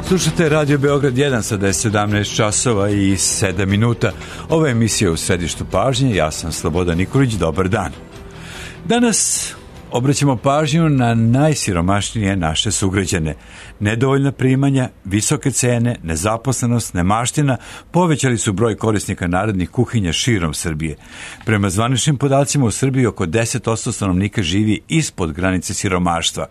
Slušate Radio Beograd 1, sada je 17 časova i 7 minuta. Ova je emisija u središtu pažnje, ja sam Slobodan Nikolić, dobar dan. Danas obraćamo pažnju na najsiromašnije naše sugrađane. Nedovoljna primanja, visoke cene, nezaposlenost, nemaština povećali su broj korisnika narodnih kuhinja širom Srbije. Prema zvaničnim podacima u Srbiji oko 10% stanovnika živi ispod granice siromaštva.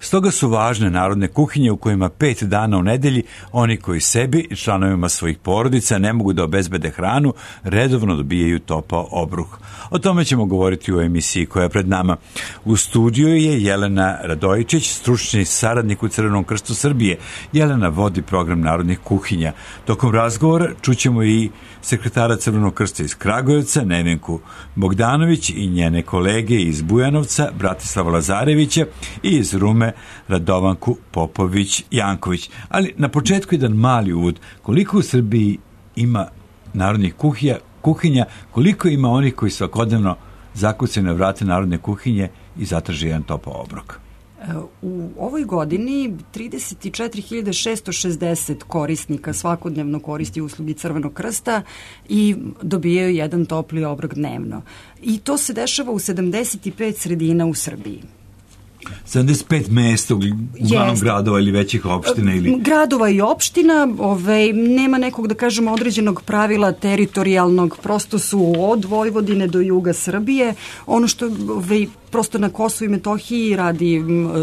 Stoga su važne narodne kuhinje u kojima 5 dana u nedelji oni koji sebi i članovima svojih porodica ne mogu da obezbede hranu, redovno dobijaju topao obruh. O tome ćemo govoriti u emisiji koja je pred nama. U studiju je Jelena Radojičić, stručni saradnik u Crvenom krstu Srbije. Jelena vodi program narodnih kuhinja. Tokom razgovora čućemo i sekretara Crvenog krsta iz Kragujevca, Nevenku Bogdanović, i njene kolege iz Bujanovca, Bratislava Lazarevića, i iz Rume, Radovanku Popović-Janković. Ali na početku jedan mali uvod. Koliko u Srbiji ima narodnih kuhinja, koliko ima onih koji svakodnevno zakucaju na vrate narodne kuhinje i zatraže jedan topao obrok? U ovoj godini 34.660 korisnika svakodnevno koristi uslugi Crvenog krsta i dobijaju jedan topli obrok dnevno. I to se dešava u 75 sredina u Srbiji. 75 mesta, uglavnom gradova ili većih opština? Gradova i opština, nema nekog, da kažemo, određenog pravila teritorijalnog, prosto su od Vojvodine do juga Srbije. Ono što prosto na Kosovu i Metohiji radi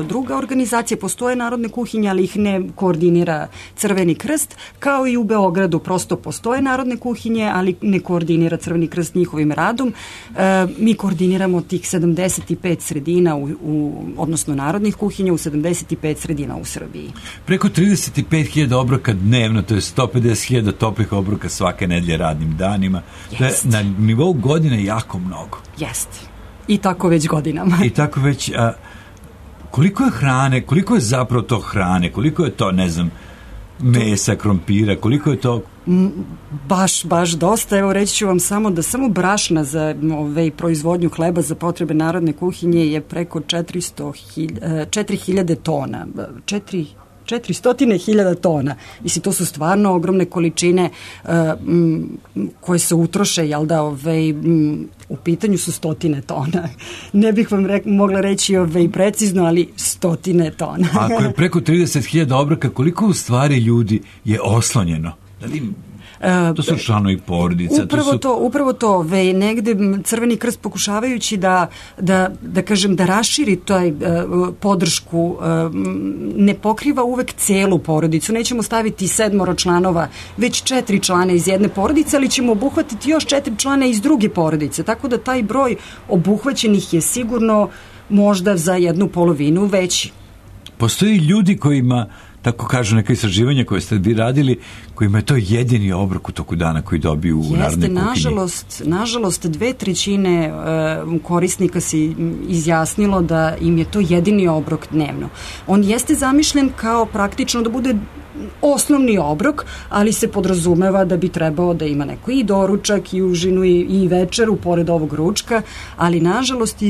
druga organizacija, postoje narodne kuhinje, ali ih ne koordinira Crveni krst, kao i u Beogradu prosto postoje narodne kuhinje, ali ne koordinira Crveni krst njihovim radom. Mi koordiniramo tih 75 sredina, odnosno narodnih kuhinja u 75 sredina u Srbiji. Preko 35.000 obroka dnevno, to je 150.000 toplih obroka svake nedelje radnim danima. To je na nivou godine jako mnogo. Jeste. I tako već godinama. I tako već, koliko je hrane, koliko je zapravo to hrane, koliko je to, ne znam, mesa, krompira, koliko je to? Baš dosta. Evo reći ću vam samo da samo brašna za proizvodnju hleba za potrebe narodne kuhinje je preko 4.000 tona. 400.000 tona. Mislim, to su stvarno ogromne količine koje se utroše, jel da, u pitanju su 100 tona. Ne bih vam mogla reći precizno, ali 100 tona. Ako je preko 30.000 obroka, koliko u stvari ljudi je oslonjeno? Da li to su članovi porodica. Upravo to. Negde Crveni krst pokušavajući da kažem, da raširi taj podršku, ne pokriva uvek celu porodicu. Nećemo staviti 7 članova, već 4 člana iz jedne porodice, ali ćemo obuhvatiti još 4 člana iz druge porodice. Tako da taj broj obuhvaćenih je sigurno možda za 1/2 veći. Postoji ljudi kojima, tako kažu neka istraživanja koje ste vi radili, kojima je to jedini obrok u toku dana koji dobiju u narodne kuhinje? Nažalost, 2/3 korisnika se izjasnilo da im je to jedini obrok dnevno. On jeste zamišljen kao praktično da bude osnovni obrok, ali se podrazumeva da bi trebao da ima neko i doručak, i užinu, i večeru, pored ovog ručka, ali nažalost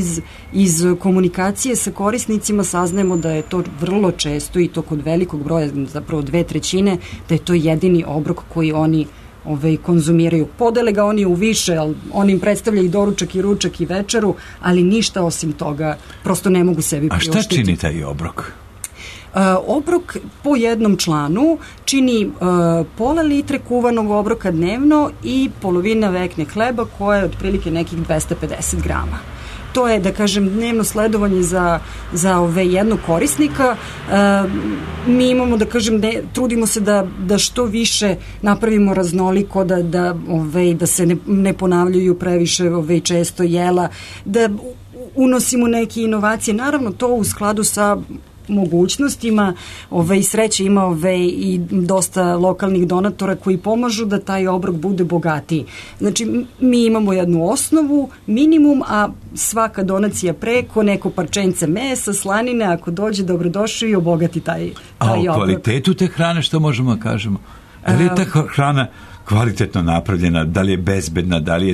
iz komunikacije sa korisnicima saznajemo da je to vrlo često, i to kod velikog broja, zapravo 2/3, da je to jedini obrok koji oni konzumiraju. Podele ga oni u više, ali oni im predstavljaju i doručak, i ručak, i večeru, ali ništa osim toga prosto ne mogu sebi priuštiti. A šta čini taj obrok? Obrok po jednom članu čini pola litre kuvanog obroka dnevno i polovina vekne hleba koja je otprilike nekih 250 grama. To je, da kažem, dnevno sledovanje za jednog korisnika. Mi imamo, da kažem, trudimo se da što više napravimo raznoliko, da se ne ponavljaju previše često jela, da unosimo neke inovacije. Naravno, to u skladu sa mogućnostima, sreće ima i dosta lokalnih donatora koji pomažu da taj obrok bude bogatiji. Znači, mi imamo jednu osnovu, minimum, a svaka donacija preko, neko parčence mesa, slanine, ako dođe, dobrodošao i obogati taj obrok. A o kvalitetu te hrane što možemo da kažemo? Da li je ta hrana kvalitetno napravljena, da li je bezbedna, da li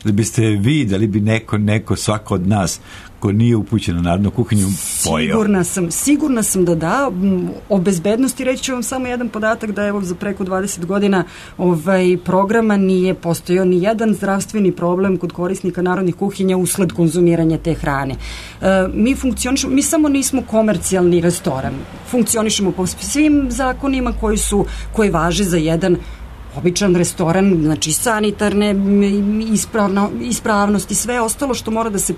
biste vi, da li bi neko svako od nas ko nije upućen na narodnu kuhinju pojeo? Sigurna sam da. O bezbednosti reći ću vam samo jedan podatak da evo za preko 20 godina programa nije postojao ni jedan zdravstveni problem kod korisnika narodnih kuhinja usled konzumiranja te hrane. Mi samo nismo komercijalni restoran. Funkcionišemo po svim zakonima koji važe za jedan običan restoran, znači sanitarne ispravnost i sve ostalo što mora da se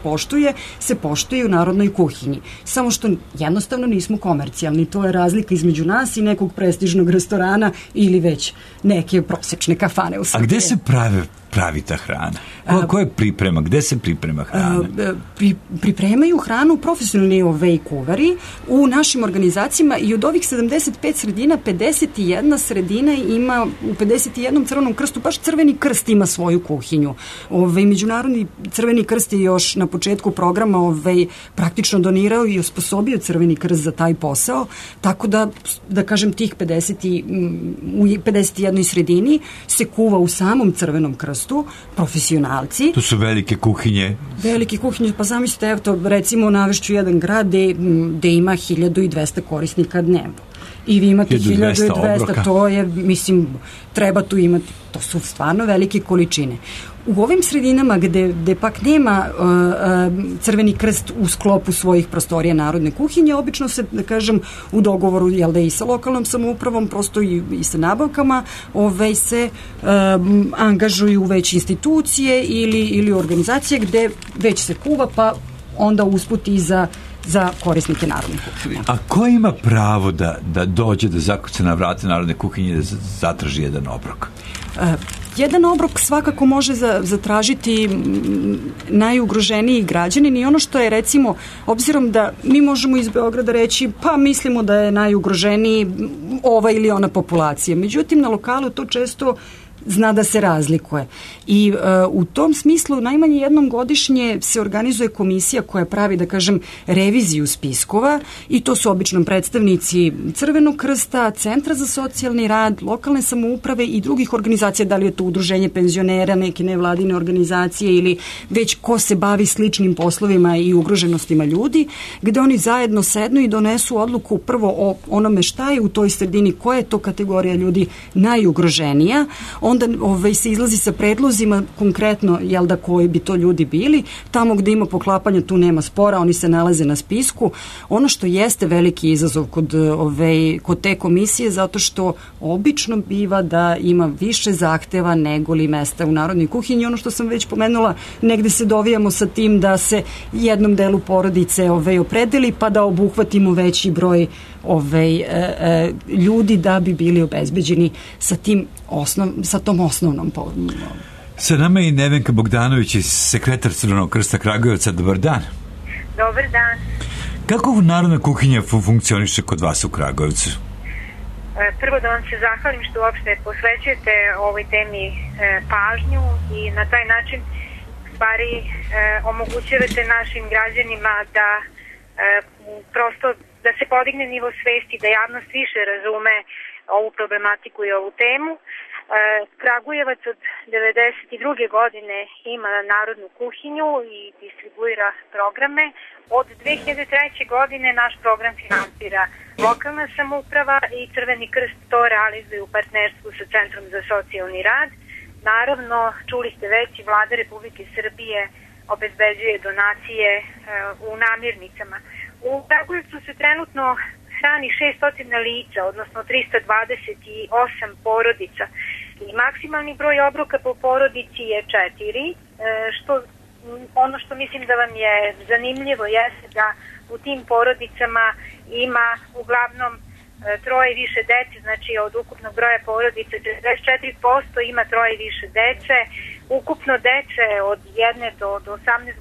poštuje u narodnoj kuhinji. Samo što jednostavno nismo komercijalni. To je razlika između nas i nekog prestižnog restorana ili već neke prosečne kafane u Srbiji. A gde se pravi ta hrana? Ko je priprema? Gde se priprema hrana? Pripremaju hranu profesionalni kuvari u našim organizacijama i od ovih 75 sredina, 51 sredina ima, u 51 Crvenom krstu, baš Crveni krst ima svoju kuhinju. Međunarodni Crveni krst je još na početku programa praktično donirao i osposobio Crveni krst za taj posao, tako da kažem tih 51 sredini se kuva u samom Crvenom krstu, profesionalci. To su velike kuhinje. Velike kuhinje, pa zamislite, evo to, recimo navešću jedan grad gde ima 1200 korisnika dnevno. I vi imate 1200, to je, mislim, treba tu imati, to su stvarno velike količine. U ovim sredinama gde pak nema Crveni krst u sklopu svojih prostorija narodne kuhinje, obično se, da kažem, u dogovoru, jel da i sa lokalnom samoupravom, prosto i sa nabavkama, se angažuju već institucije ili organizacije gde već se kuva, pa onda usput i za korisnike narodne kuhinje. A ko ima pravo da dođe, da zakuca na vrate narodne kuhinje i da zatraži jedan obrok? Jedan obrok svakako može zatražiti najugroženiji građanin i ono što je, recimo, obzirom da mi možemo iz Beograda reći pa mislimo da je najugroženiji ova ili ona populacija. Međutim, na lokalu to često zna da se razlikuje. I u tom smislu najmanje jednom godišnje se organizuje komisija koja pravi, da kažem, reviziju spiskova i to su obično predstavnici Crvenog krsta, Centra za socijalni rad, lokalne samouprave i drugih organizacija, da li je to udruženje penzionera, neke nevladine organizacije ili već ko se bavi sličnim poslovima i ugroženostima ljudi, gde oni zajedno sednu i donesu odluku prvo o onome šta je u toj sredini, koja je to kategorija ljudi najugroženija, onda se izlazi sa predlozima konkretno, jel da, koji bi to ljudi bili. Tamo gde ima poklapanja, tu nema spora, oni se nalaze na spisku. Ono što jeste veliki izazov kod te komisije, zato što obično biva da ima više zahteva nego li mesta u narodnoj kuhinji. Ono što sam već pomenula, negde se dovijamo sa tim da se jednom delu porodice opredeli, pa da obuhvatimo veći broj ljudi da bi bili obezbeđeni sa tom osnovnom pomoću. Sa nama je i Nevenka Bogdanović, sekretar Crvenog krsta Kragujevca. Dobar dan. Dobar dan. Kako narodna kuhinja funkcioniše kod vas u Kragujevcu? Prvo da vam se zahvalim što uopšte posvećujete ovoj temi pažnju i na taj način stvari omogućujete našim građanima da prosto da se podigne nivo svesti, da javnost više razume ovu problematiku i ovu temu. Kragujevac od 1992. godine ima narodnu kuhinju i distribuira programe. Od 2003. godine naš program finansira lokalna samouprava i Crveni krst to realizuje u partnerstvu sa Centrom za socijalni rad. Naravno, čuli ste već, i Vlada Republike Srbije obezbeđuje donacije u namirnicama. U Kragujevcu se trenutno hrani 600 lica, odnosno 328 porodica. I maksimalni broj obroka po porodici je 4, ono što mislim da vam je zanimljivo jeste da u tim porodicama ima uglavnom troje i više dece, znači od ukupnog broja porodice 44% ima troje i više dece, ukupno dece od 1 do 18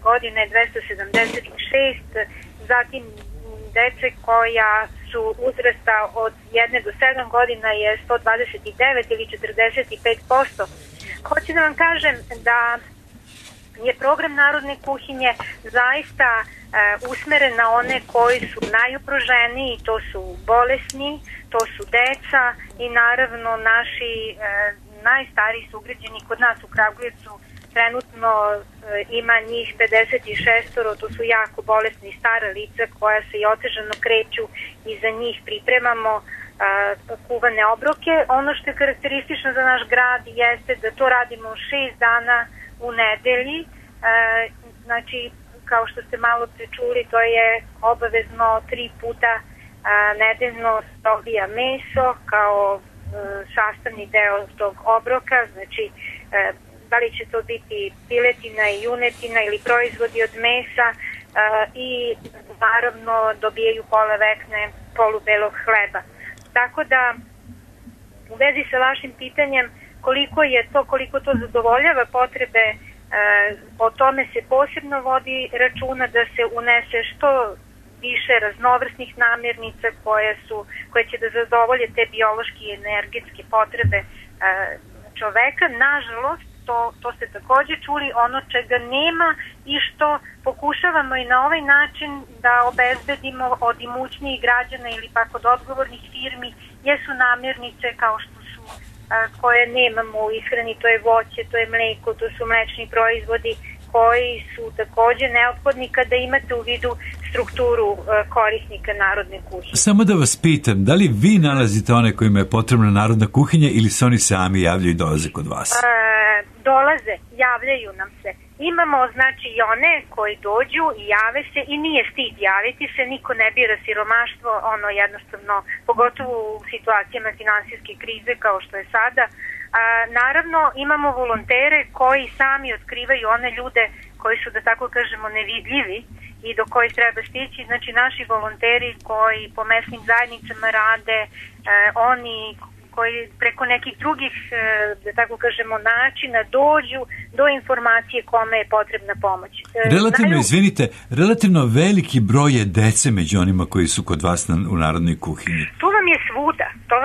godina je 276, zatim dece koja su uzrasta od 1 do 7 godina je 129 ili 45%. Hoću da vam kažem da je program narodne kuhinje zaista usmeren na one koji su najugroženiji, to su bolesni, to su deca i naravno naši najstariji sugrađani kod nas u Kragujevcu trenutno ima njih 56, to su jako bolesni stara lica koja se i otežano kreću i za njih pripremamo kuvane obroke. Ono što je karakteristično za naš grad jeste da to radimo 6 dana u nedelji, znači kao što ste malo pričuli, to je obavezno 3 puta nedeljno dobija meso kao sastavni deo tog obroka, znači da li će to biti piletina i junetina ili proizvodi od mesa i naravno dobijaju pola vekne polubelog hleba. Tako da u vezi sa vašim pitanjem koliko to zadovoljava potrebe, o tome se posebno vodi računa da se unese što više raznovrsnih namirnica koje će da zadovolje te biološke i energetske potrebe čoveka. Nažalost, to ste takođe čuli, ono čega nema i što pokušavamo i na ovaj način da obezbedimo od imućnijih građana ili pak od odgovornih firmi jesu namirnice kao što su koje nemamo u ishrani, to je voće, to je mleko, to su mlečni proizvodi koji su takođe neophodni kada imate u vidu strukturu korisnika narodne kuhinje. Samo da vas pitam, da li vi nalazite one kojima je potrebna narodna kuhinja ili se oni sami javljaju i dolaze kod vas? Dolaze, javljaju nam se. Imamo znači i one koji dođu i jave se i nije stid javiti se, niko ne bira siromaštvo, ono jednostavno, pogotovo u situacijama finansijske krize kao što je sada. Naravno, imamo volontere koji sami otkrivaju one ljude koji su, da tako kažemo, nevidljivi i do kojih treba stići. Znači, naši volonteri koji po mesnim zajednicama rade, oni koji preko nekih drugih, da tako kažemo, načina dođu do informacije kome je potrebna pomoć. Relativno veliki broj je dece među onima koji su kod vas u narodnoj kuhinji. To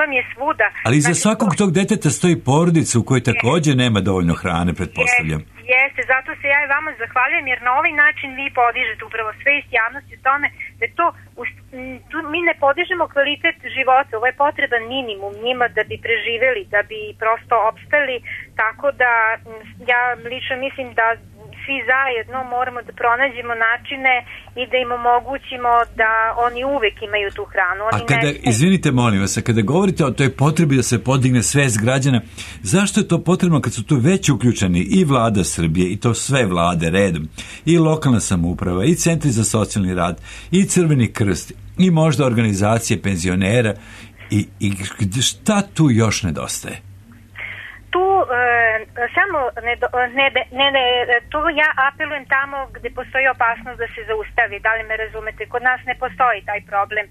vam je svuda. Ali iza svakog tog deteta stoji porodica u kojoj takođe nema dovoljno hrane, pretpostavljam. Jeste, zato se ja i vama zahvaljujem, jer na ovaj način vi podižete upravo svest javnosti o tome da je to, mi ne podižemo kvalitet života, ovo je potreban minimum njima da bi preživeli, da bi prosto opstali, tako da ja lično mislim da svi zajedno moramo da pronađemo načine i da im omogućimo da oni uvek imaju tu hranu. Izvinite, molim vas, kada govorite o toj potrebi da se podigne svest građana, zašto je to potrebno kad su tu već uključeni i vlada Srbije, i to sve vlade redom, i lokalna samouprava, i centri za socijalni rad, i Crveni krst, i možda organizacije penzionera, i šta tu još nedostaje? Tu samo tu ja apelujem tamo gde postoji opasnost da se zaustavi, da li me razumete? Kod nas ne postoji taj problem.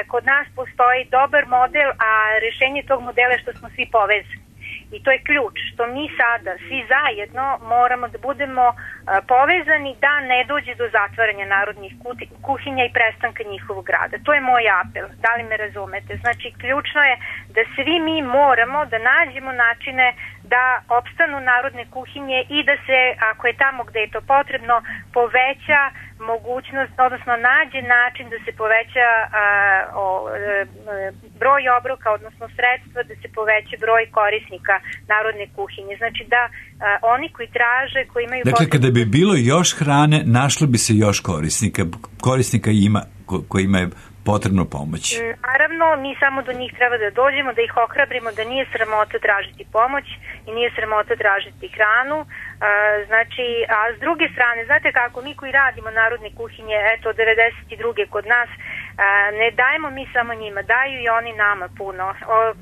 Kod nas postoji dobar model, a rešenje tog modela je što smo svi povezani. I to je ključ, što mi sada svi zajedno moramo da budemo povezani da ne dođe do zatvaranja narodnih kuhinja i prestanka njihovog rada. To je moj apel, da li me razumete? Znači, ključno je da svi mi moramo da nađemo načine da opstanu narodne kuhinje i da se, ako je tamo gde je to potrebno, poveća mogućnost, odnosno nađe način da se poveća broj obroka, odnosno sredstva, da se poveća broj korisnika narodne kuhinje. Znači da oni koji traže, koji imaju... Dakle, kada bi bilo još hrane, našlo bi se još korisnika ima, kojima je potrebno pomoć. Naravno, mi samo do njih treba da dođemo, da ih ohrabrimo, da nije sramota tražiti pomoć i nije sramota tražiti hranu. Znači, a s druge strane, znate kako, mi koji radimo narodne kuhinje, eto, 92. kod nas, ne dajemo mi samo njima, daju i oni nama puno.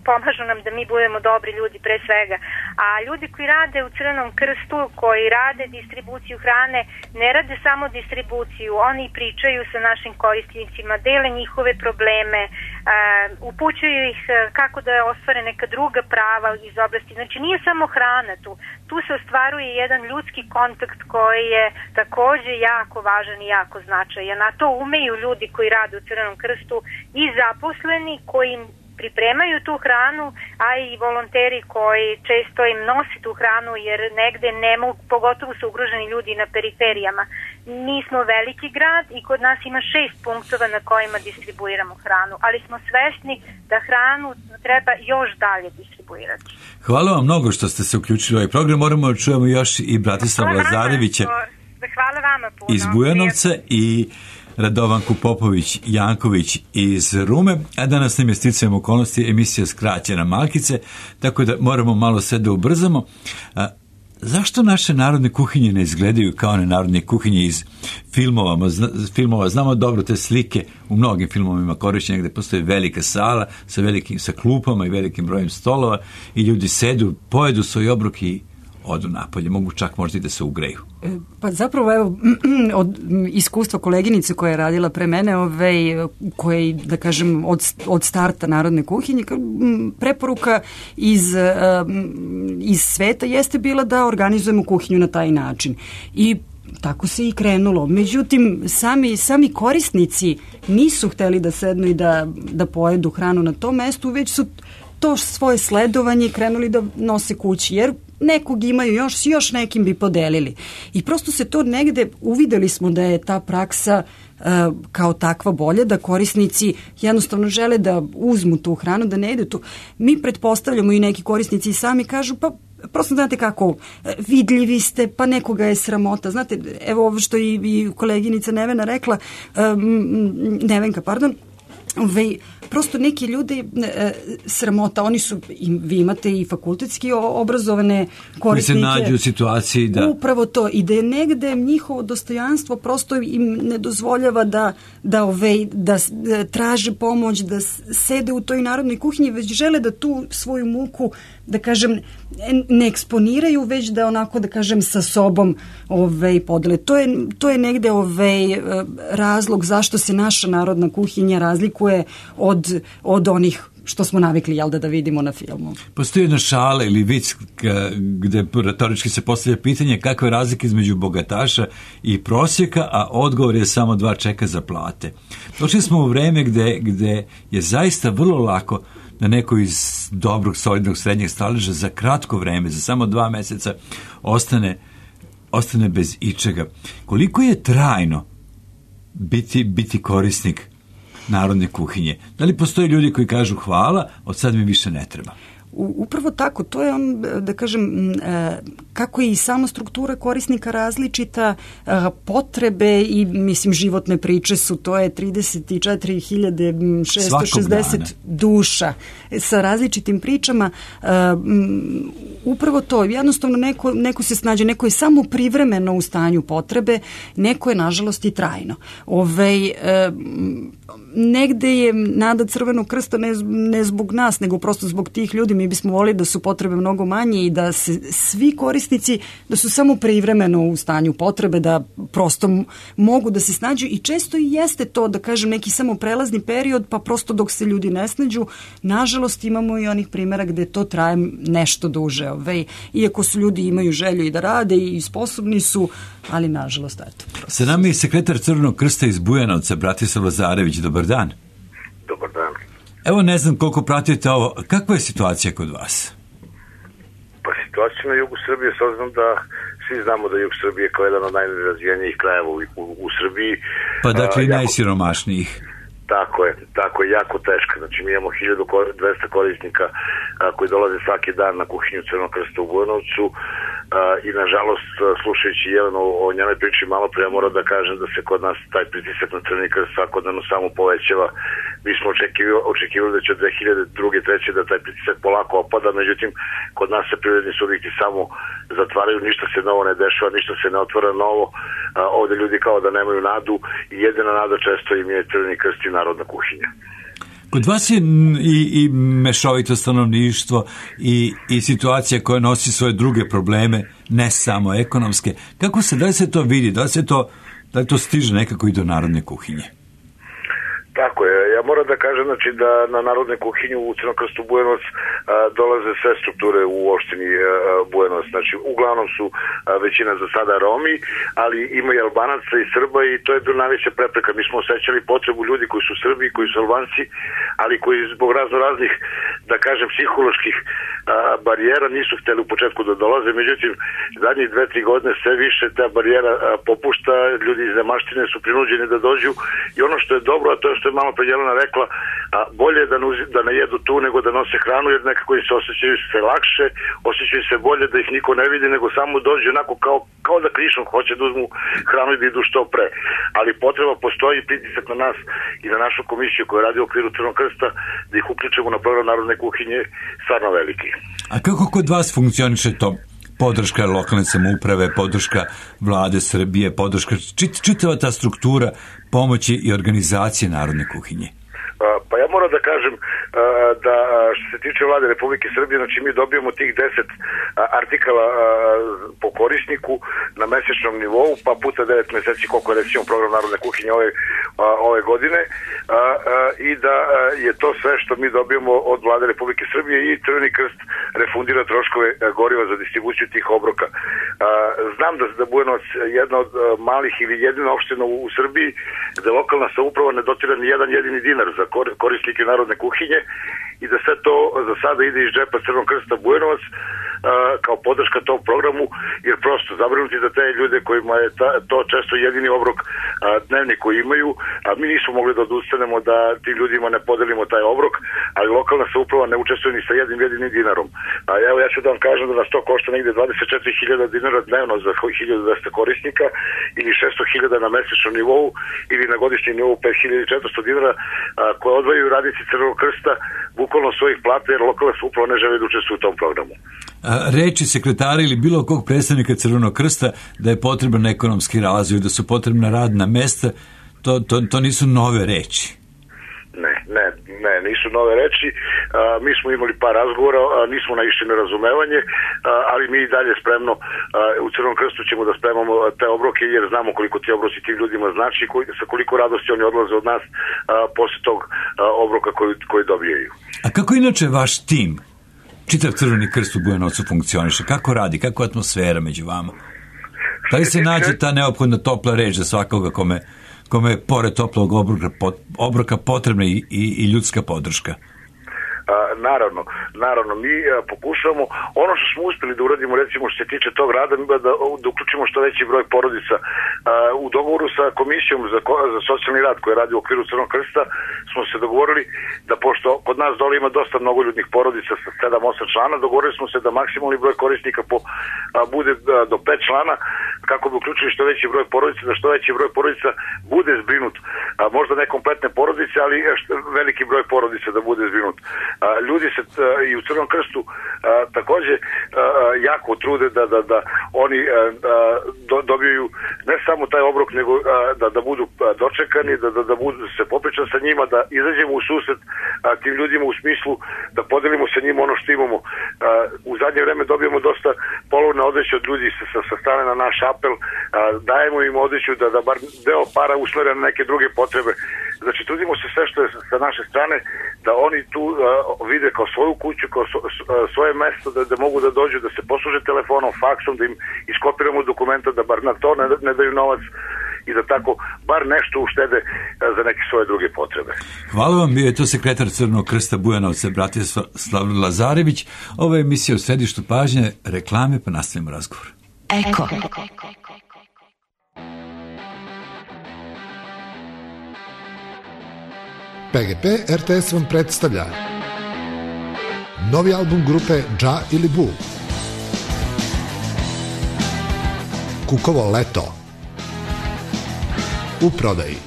Pomažu nam da mi budemo dobri ljudi pre svega. A ljudi koji rade u Crvenom krstu, koji rade distribuciju hrane, ne rade samo distribuciju, oni pričaju sa našim korisnicima, dele njihove probleme, upućuju ih kako da ostvare neka druga prava iz oblasti. Znači, nije samo hrana tu. Tu se ostvaruje jedan ljudski kontakt koji je takođe jako važan i jako značajan. A to umeju ljudi koji rade u Crvenom krstu i zaposleni koji pripremaju tu hranu, a i volonteri koji često im nose tu hranu, jer negde ne mogu, pogotovo su ugroženi ljudi na periferijama. Mi smo veliki grad i kod nas ima 6 punktova na kojima distribuiramo hranu, ali smo svesni da hranu treba još dalje distribuirati. Hvala vam mnogo što ste se uključili u ovaj program. Moramo da čujemo još i Bratislava Lazarevića iz Bujanovca i Radovanku Popović-Janković iz Rume, a danas nam je sticajem okolnosti emisija skraćena malkice, tako da moramo malo sve da ubrzamo. Zašto naše narodne kuhinje ne izgledaju kao one narodne kuhinje iz filmova? Znamo dobro te slike u mnogim filmovima korišćenja gde postoji velika sala sa klupama i velikim brojem stolova i ljudi sedu, pojedu svoj obrok i odu napolje, mogu čak možda i da se ugreju. Pa zapravo, evo, od iskustva koleginice koja je radila pre mene, koja, da kažem, od starta narodne kuhinje, preporuka iz sveta jeste bila da organizujemo kuhinju na taj način. I tako se i krenulo. Međutim, sami korisnici nisu hteli da sednu i da pojedu hranu na tom mestu, već su to svoje sledovanje krenuli da nose kući, jer nekog imaju još nekim bi podelili. I prosto se to negde, uvideli smo da je ta praksa kao takva bolje, da korisnici jednostavno žele da uzmu tu hranu, da ne ide tu. Mi pretpostavljamo i neki korisnici sami kažu, pa prosto znate kako, vidljivi ste, pa nekoga je sramota. Znate, evo ovo što i koleginica Nevenka, prosto neki ljudi sramota, oni su, vi imate i fakultetski obrazovane korisnike. Koji se nađu u situaciji da... Upravo to, i da je negde njihovo dostojanstvo prosto im ne dozvoljava da traže pomoć, da sede u toj narodnoj kuhinji, već žele da tu svoju muku, da kažem, ne eksponiraju, već da onako, da kažem, sa sobom podele. To je negde razlog zašto se naša narodna kuhinja razlikuje od onih što smo navikli, da vidimo na filmu. Postoji jedna šala ili vic gde retorički se postavlja pitanje kakve razlike između bogataša i prosjeka, a odgovor je samo 2 čeka za plate. Došli smo u vreme gde je zaista vrlo lako da neko iz dobrog, solidnog, srednjeg staleža za kratko vreme, za samo 2 meseca ostane bez ičega. Koliko je trajno biti korisnik narodne kuhinje? Da li postoje ljudi koji kažu hvala, od sad mi više ne treba? Upravo tako, to je da kažem, kako je i sama struktura korisnika različita, potrebe i, mislim, životne priče su, to je 34.660 duša sa različitim pričama. Upravo to, jednostavno neko se snađe, neko je samo privremeno u stanju potrebe, neko je, nažalost, i trajno. Negde je nada Crvenog krsta ne zbog nas, nego prosto zbog tih ljudi. Mi bismo volili da su potrebe mnogo manje i da se svi korisnici, da su samo privremeno u stanju potrebe, da prosto mogu da se snađu, i često i jeste to, da kažem, neki samo prelazni period, pa prosto dok se ljudi ne snađu. Nažalost, imamo i onih primjera gde to traje nešto duže. Iako su ljudi, imaju želju i da rade i sposobni su, ali nažalost, eto. Sa nama je sekretar Crvenog krsta iz Bujanovca, Bratislav Lazarević. Dobar dan. Dobar dan. Evo, ne znam koliko pratite ovo. Kakva je situacija kod vas? Pa situacija na jugu Srbije, s obzirom da svi znamo da jug Srbije kao jedan od najnerazvijenijih krajeva u Srbiji. Pa dakle i najsiromašnijih. Tako je, jako teška. Znači mi imamo 1200 korisnika koji dolaze svaki dan na kuhinju Crvenog krsta u Bujanovcu i nažalost, slušajući Jelenu o njenoj priči malo pre, moram da kažem da se kod nas taj pritisak na Crveni krst svakodnevno samo povećava. Mi smo očekivali da će od 2002. 2003. da taj pritisak polako opada, međutim kod nas se privredni subjekti samo zatvaraju, ništa se novo ne dešava, ništa se ne otvara novo, ovde ljudi kao da nemaju nadu i jedina nada često im je Crveni krst i narodna kuhinja. Kod vas je i mešovito stanovništvo i situacija koja nosi svoje druge probleme, ne samo ekonomske. Kako se, da li se to vidi, da li to stiže nekako i do narodne kuhinje? Tako je. Ja moram da kažem da na narodne kuhinju u Crvenom krstu Bujanovac dolaze sve strukture u opštini Bujanovac. Znači, uglavnom su većina za sada Romi, ali ima i Albanaca i Srba i to je bilo najveća prepreka. Mi smo osjećali potrebu ljudi koji su Srbi, koji su Albanci, ali koji zbog raznih, da kažem, psiholoških barijera nisu hteli u početku da dolaze. Međutim, zadnjih 2-3 godine sve više ta barijera popušta, ljudi iz nemaštine su prinuđeni da dođu i ono što je dobro, a to je što je malo pre Jelena rekla, bolje je da ne jedu tu nego da nose hranu, jer nekako im se osjećaju se lakše, osjećaju se bolje da ih niko ne vidi, nego samo dođu onako kao da krišom hoće da uzmu hranu i da idu što pre. Ali potreba postoji, pritisak na nas i na našu komisiju koja radi u okviru Crvenog krsta da ih uključimo na program narodne kuhinje stvarno veliki. A kako kod vas funkcioniše to? Podrška lokalne samouprave, podrška vlade Srbije, podrška čitava ta struktura pomoći i organizacije narodne kuhinje? Pa ja moram da kažem da što se tiče vlade Republike Srbije, znači mi dobijemo tih 10 artikala po korisniku na mesečnom nivou, pa puta 9 meseci koliko je recimo program narodne kuhinje ove godine, i da je to sve što mi dobijemo od vlade Republike Srbije i Crveni krst refundira troškove goriva za distribuciju tih obroka. Znam da Bujanovac jedna od malih ili jedina opština u Srbiji gde lokalna samouprava ne dotira ni jedan jedini dinar za korisnike narodne kuhinje i da sve to za sada ide iz džepa Crvenog krsta Bujanovac kao podrška tom programu, jer prosto zabrinuti za te ljude kojima je to često jedini obrok dnevni koji imaju, a mi nismo mogli da odustanemo da tim ljudima ne podelimo taj obrok, ali lokalna samouprava ne učestvuje ni sa jednim jedinim dinarom. Evo ja ću da vam kažem da nas to košta negde 24.000 dinara dnevno za 1.200 korisnika ili 600.000 na mesečnom nivou ili na godišnjem nivou 5.400 dinara koje odvajaju radnici Crvenog krsta bukvalno svojih plata, jer lokalna samouprava ne žele da učestvuje u tom programu. Reči sekretara ili bilo kog predstavnika Crvenog krsta da je potreban ekonomski razvoj, da su potrebna radna mesta, to nisu nove reči. Ne, nisu nove reči. Mi smo imali par razgovora, nismo naišli na razumevanje, ali mi i dalje spremno u Crvenom krstu ćemo da spremamo te obroke, jer znamo koliko ti obroci tim ljudima znači, sa koliko radosti oni odlaze od nas posle tog obroka koji dobijaju. A kako inače vaš tim, čitav Crveni krst u Bujanovcu funkcioniše? Kako radi? Kako je atmosfera među vama? Da li se nađe ta neophodna topla reč za svakoga kome je pored toplog obroka potrebna i ljudska podrška? Naravno, mi pokušavamo ono što smo uspeli da uradimo, recimo što se tiče tog rada, da uključimo što veći broj porodica. U dogovoru sa komisijom za socijalni rad koja radi u okviru Crvenog krsta smo se dogovorili da, pošto kod nas dole ima dosta mnogoljudnih porodica sa 7-8 člana, dogovorili smo se da maksimalni broj korisnika bude do 5 člana, kako bi uključili što veći broj porodica, da što veći broj porodica bude zbrinut. Možda ne kompletne porodice, ali veliki broj porodica da bude zbrinut. Ljudi se i u Crvenom krstu takođe jako trude da oni dobiju ne samo taj obrok, nego da budu dočekani, da budu se popričan sa njima, da izađemo u susret tim ljudima u smislu da podelimo sa njima ono što imamo. U zadnje vreme dobijemo dosta polovne odeće od ljudi sa strane na naš apel, dajemo im odeću da bar deo para usmere na neke druge potrebe. Znači, trudimo se sve što je sa naše strane da oni tu vide kao svoju kuću, kao svoje mesto, da mogu da dođu, da se posluže telefonom, faksom, da im iskopiramo dokumenta, da bar na to ne daju novac i da tako bar nešto uštede za neke svoje druge potrebe. Hvala vam, bio je to sekretar Crvenog krsta Bujanovca, Bratislav Lazarević. Ovo je emisija u središtu pažnje, reklame, pa nastavimo razgovor. Eko. PGP RTS vam predstavlja novi album grupe Dža ili Bu. Kukovo leto. U prodaji.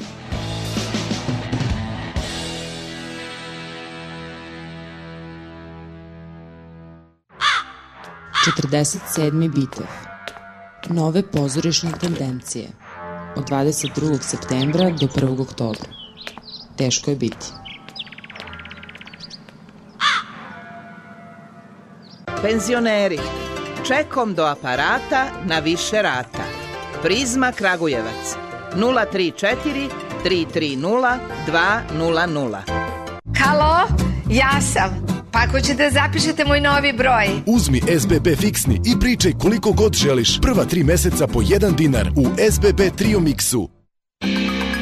Četrdeset Bitev. Nove pozorišne tendencije. Od 22. septembra do 1. oktobra. Teško je biti. Penzioneri, čekom do aparata na više rata. Prizma Kragujevac 034 330 200. Halo, ja sam. Pa ako ćete zapišete moj novi broj. Uzmi SBB fiksni i pričaj koliko god želiš. Prva 3 meseca po 1 dinar u SBB Trio Mixu.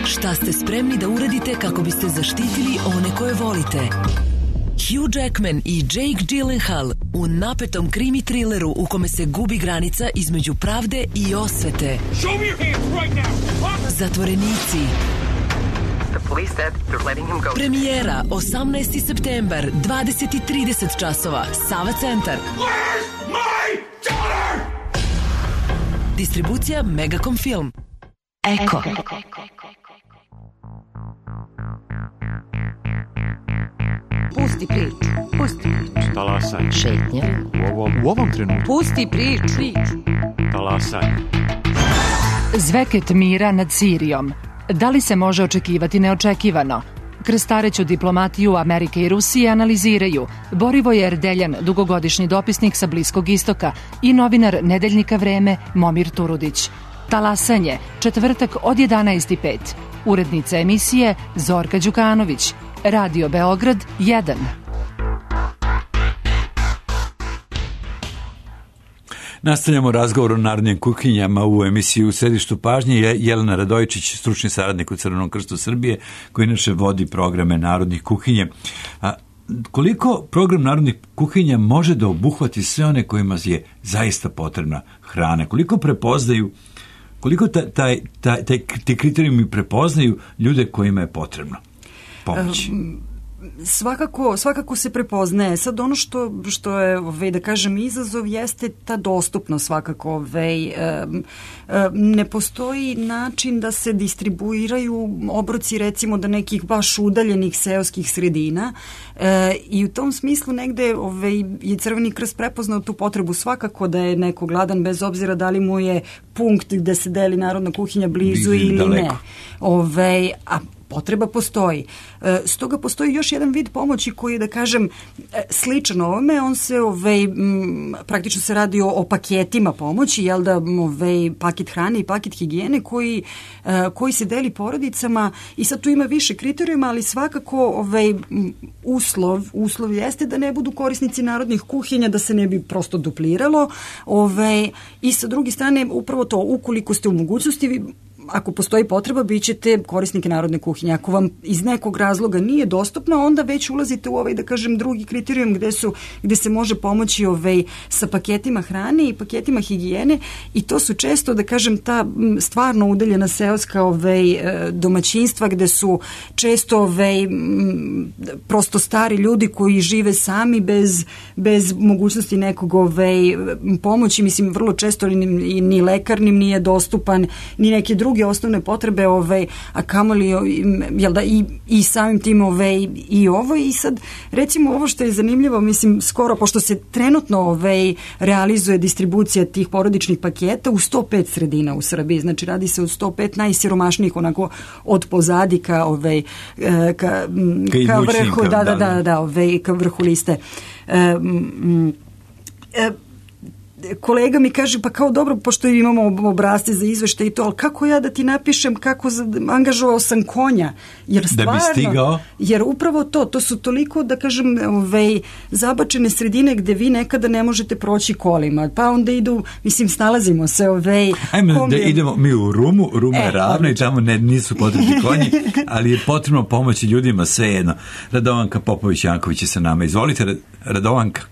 Šta ste spremni da uradite kako biste zaštitili one koje volite? Hugh Jackman i Jake Gyllenhaal u napetom krimi trileru u kome se gubi granica između pravde i osvete. Zatvorenici. Premijera 18. septembar, 20:30 časova, Sava centar. Distribucija Megacom Film. Eko. Pusti priču. Pusti priču. Talasanje. Šetnja. U ovom trenutku. Pusti priču. Talasanje. Zveket mira nad Sirijom. Da li se može očekivati neočekivano? Krstareću diplomatiju Amerike i Rusije analiziraju Borivoje Erdeljan, dugogodišnji dopisnik sa Bliskog istoka, i novinar Nedeljnika Vreme Momir Turudić. Talasanje, četvrtak od 11:05. Urednica emisije Zorka Đukanović. Radio Beograd 1. Nastavljamo razgovor o narodnim kuhinjama u emisiji U središtu pažnje. Jelena Radojičić, stručni saradnik u Crvenom krstu Srbije, koji inače vodi programe narodnih kuhinja. Koliko program narodnih kuhinja može da obuhvati sve one kojima je zaista potrebna hrana? Koliko prepoznaju, koliko ti kriterijumi prepoznaju ljude kojima je potrebno pomoć? Svakako se prepoznaje. Sad ono što je, da kažem, izazov jeste ta dostupnost svakako. Ne postoji način da se distribuiraju obroci recimo do nekih baš udaljenih seoskih sredina i u tom smislu negde je Crveni krst prepoznao tu potrebu svakako da je neko gladan bez obzira da li mu je punkt gde se deli narodna kuhinja blizu ili daleko. Ne. A potreba postoji. Stoga postoji još jedan vid pomoći koji je, da kažem, sličan ovome. On se, praktično se radi o paketima pomoći, jel da, paket hrane i paket higijene koji se deli porodicama i sad tu ima više kriterijuma, ali svakako uslov jeste da ne budu korisnici narodnih kuhinja, da se ne bi prosto dupliralo. I sa druge strane, upravo to, ukoliko ste u mogućnosti, ako postoji potreba, bit ćete korisnike narodne kuhinje. Ako vam iz nekog razloga nije dostupno, onda već ulazite u da kažem, drugi kriterijum gde se može pomoći sa paketima hrane i paketima higijene i to su često, da kažem, ta stvarno udaljena seoska domaćinstva gde su često prosto stari ljudi koji žive sami bez mogućnosti nekog pomoći. Mislim, vrlo često ni lekar im nije dostupan, ni neke druge osnovne potrebe, a kamoli jel da, i samim tim i ovo. I sad, recimo, ovo što je zanimljivo, mislim, skoro, pošto se trenutno realizuje distribucija tih porodičnih paketa u 105 sredina u Srbiji, znači radi se od 105 najsiromašnijih, onako od pozadi ka vrhu, ka vrhu liste. Kolega mi kaže, pa kao dobro, pošto imamo obrasce za izveštaj i to, ali kako ja da ti napišem kako angažovao sam konja? Jer stvarno, da bi stigao? Jer upravo to su toliko, da kažem, zabačene sredine gde vi nekada ne možete proći kolima, pa onda snalazimo se. Ajmo da idemo mi u Rumu, Ruma je ravna i tamo nisu potrebni konji, ali je potrebno pomoći ljudima svejedno. Radovanka Popović-Janković je sa nama. Izvolite, Radovanka.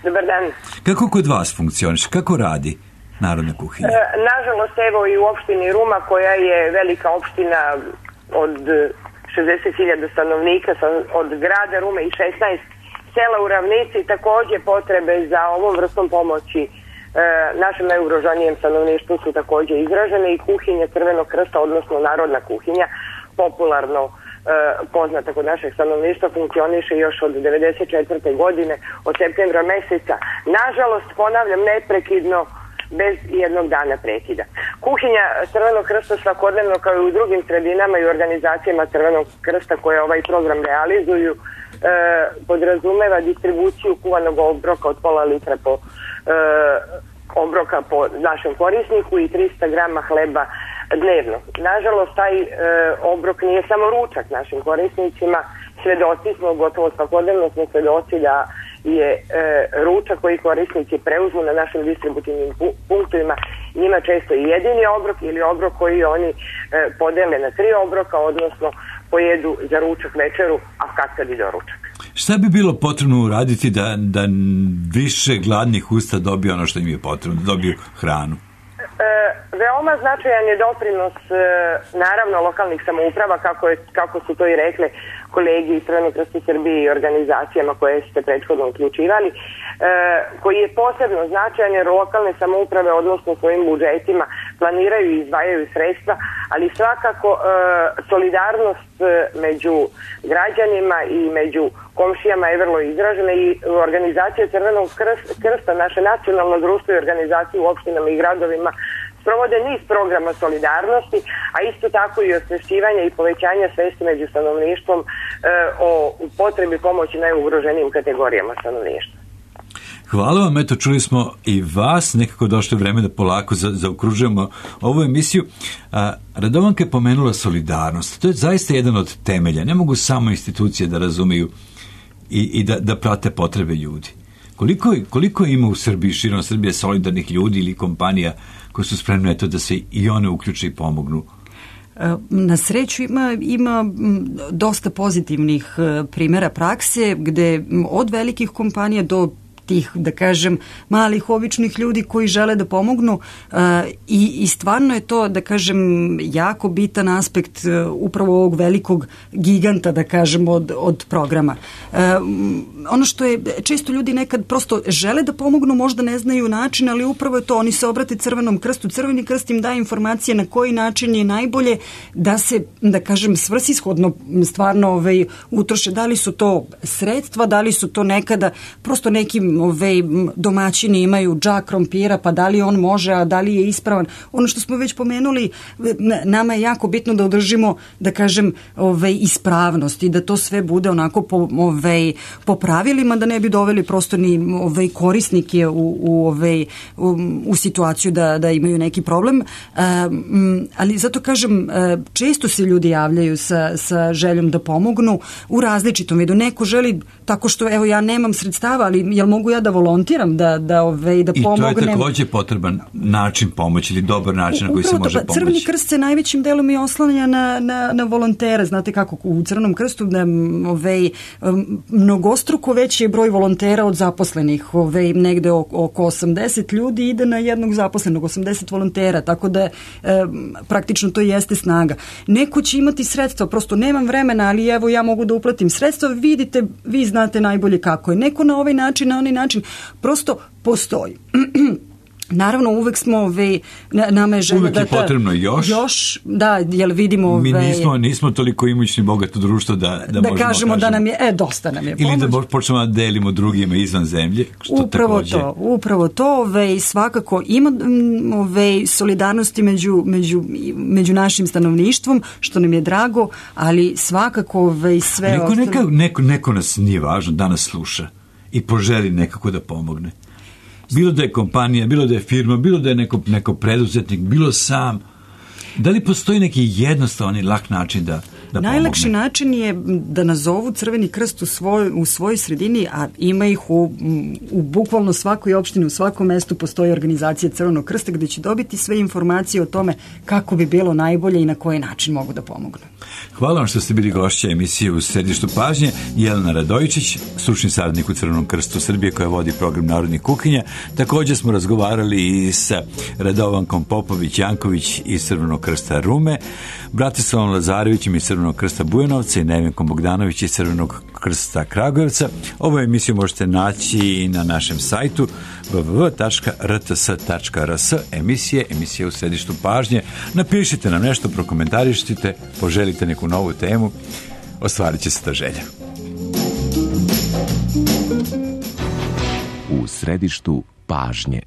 Dobar dan. Kako kod vas funkcioniš? Kako radi narodna kuhinja? Nažalost, evo i u opštini Ruma, koja je velika opština od 60.000 stanovnika, od grada Rume i 16 sela u ravnici, takođe potrebe za ovom vrstom pomoći našem najugroženijem stanovništvu su takođe izražene i kuhinja Crvenog krsta, odnosno narodna kuhinja, popularno poznata kod našeg stanovništva, funkcioniše još od 1994. godine, od septembra meseca. Nažalost, ponavljam, neprekidno, bez jednog dana prekida. Kuhinja Crvenog krsta svakodnevno, kao i u drugim sredinama i organizacijama Crvenog krsta koje ovaj program realizuju, podrazumeva distribuciju kuvanog obroka od pola litra obroka po našem korisniku i 300 grama hleba dnevno. Nažalost, taj obrok nije samo ručak našim korisnicima. Svedoci smo, gotovo svakodnevno smo svedoci da je ručak koji korisnici preuzmu na našim distributivnim punktovima njima često i jedini obrok ili obrok koji oni podele na 3 obroka, odnosno pojedu za ručak, večeru, a kad i doručak. Šta bi bilo potrebno uraditi da više gladnih usta dobiju ono što im je potrebno, da dobiju hranu? Veoma značajan je doprinos naravno lokalnih samouprava, kako su to i rekle kolegi iz Crvenog krsta Srbije i organizacijama koje ste prethodno uključivali, koji je posebno značajan jer lokalne samouprave odnosno svojim budžetima planiraju i izdvajaju sredstva, ali svakako solidarnost među građanima i među komšijama je vrlo izražena i organizacija Crvenog krsta, naše nacionalno društvo i organizacije u opštinama i gradovima sprovode niz programa solidarnosti, a isto tako i osvešćivanja i povećanja svesti među stanovništvom o potrebi pomoći najugroženijim kategorijama stanovništva. Hvala vam, eto čuli smo i vas, nekako došlo vreme da polako zaokružujemo ovu emisiju. Radovanka je pomenula solidarnost, to je zaista jedan od temelja, ne mogu samo institucije da razumeju i da prate potrebe ljudi. Koliko ima u Srbiji, širom Srbije, solidarnih ljudi ili kompanija koji su spremne da se i one uključe i pomognu? Na sreću ima dosta pozitivnih primjera prakse gde od velikih kompanija do tih, da kažem, malih običnih ljudi koji žele da pomognu i stvarno je to, da kažem, jako bitan aspekt upravo ovog velikog giganta, da kažem, od programa. Ono što je, često ljudi nekad prosto žele da pomognu, možda ne znaju način, ali upravo je to, oni se obrate Crvenom krstu, Crveni krst im daje informacije na koji način je najbolje da se, da kažem, svrsishodno stvarno utroše, da li su to sredstva, da li su to nekada prosto nekim domaćini imaju džak krompira, pa da li on može, a da li je ispravan. Ono što smo već pomenuli, nama je jako bitno da održimo, da kažem, ispravnost i da to sve bude onako po pravilima, da ne bi doveli prosto ni korisnike u situaciju da imaju neki problem. Ali zato kažem, često se ljudi javljaju sa željom da pomognu u različitom vidu. Neko želi tako što, evo, ja nemam sredstava, ali jel mogu ja da volontiram, da pomognem. I to je također potreban način pomoći ili dobar način na koji se može pomoći. Crveni krst se najvećim delom i oslanja na volontere. Znate kako u Crvenom krstu mnogostruko veći je broj volontera od zaposlenih. Negde oko 80 ljudi ide na jednog zaposlenog, 80 volontera, tako da praktično to jeste snaga. Neko će imati sredstva, prosto nemam vremena, ali evo ja mogu da uplatim sredstva, vidite, vi znate najbolje kako je. Neko na ovaj način, na onaj način, prosto postoji. Naravno, uvek smo nama je želja uvek je potrebno još, da, jel vidimo mi nismo toliko imućni bogato društvo da možemo kažemo da nam je, dosta nam je pomoć. Ili da počnemo da delimo drugima izvan zemlje, što upravo to, svakako ima solidarnosti među našim stanovništvom, što nam je drago, ali svakako sve neko nas nije važno, da nas sluša i poželi nekako da pomogne. Bilo da je kompanija, bilo da je firma, bilo da je neko preduzetnik, bilo sam. Da li postoji neki jednostavan i lak način da pomogne? Najlakši način je da nazovu Crveni krst u svojoj sredini, a ima ih u bukvalno svakoj opštini, u svakom mestu postoji organizacija Crvenog krsta gdje će dobiti sve informacije o tome kako bi bilo najbolje i na koji način mogu da pomognu. Hvala vam što ste bili gošća emisije u Središtu pažnje. Jelena Radojičić, stručni saradnik u Crvenom krstu Srbije koja vodi program Narodnih kuhinja. Također smo razgovarali i sa Radovankom Popović-Janković iz Crvenog krsta Rume, Bratislavom Lazarevićem iz Crvenog krsta Bujanovca i Nevenkom Bogdanović iz Crvenog krsta Kragujevca. Ovu emisiju možete naći i na našem sajtu www.rts.rs emisije u Središtu pažnje. Napišite nam nešto, prokomentarišite, poželite neku novu temu, ostvarit će se ta želja. U Središtu pažnje.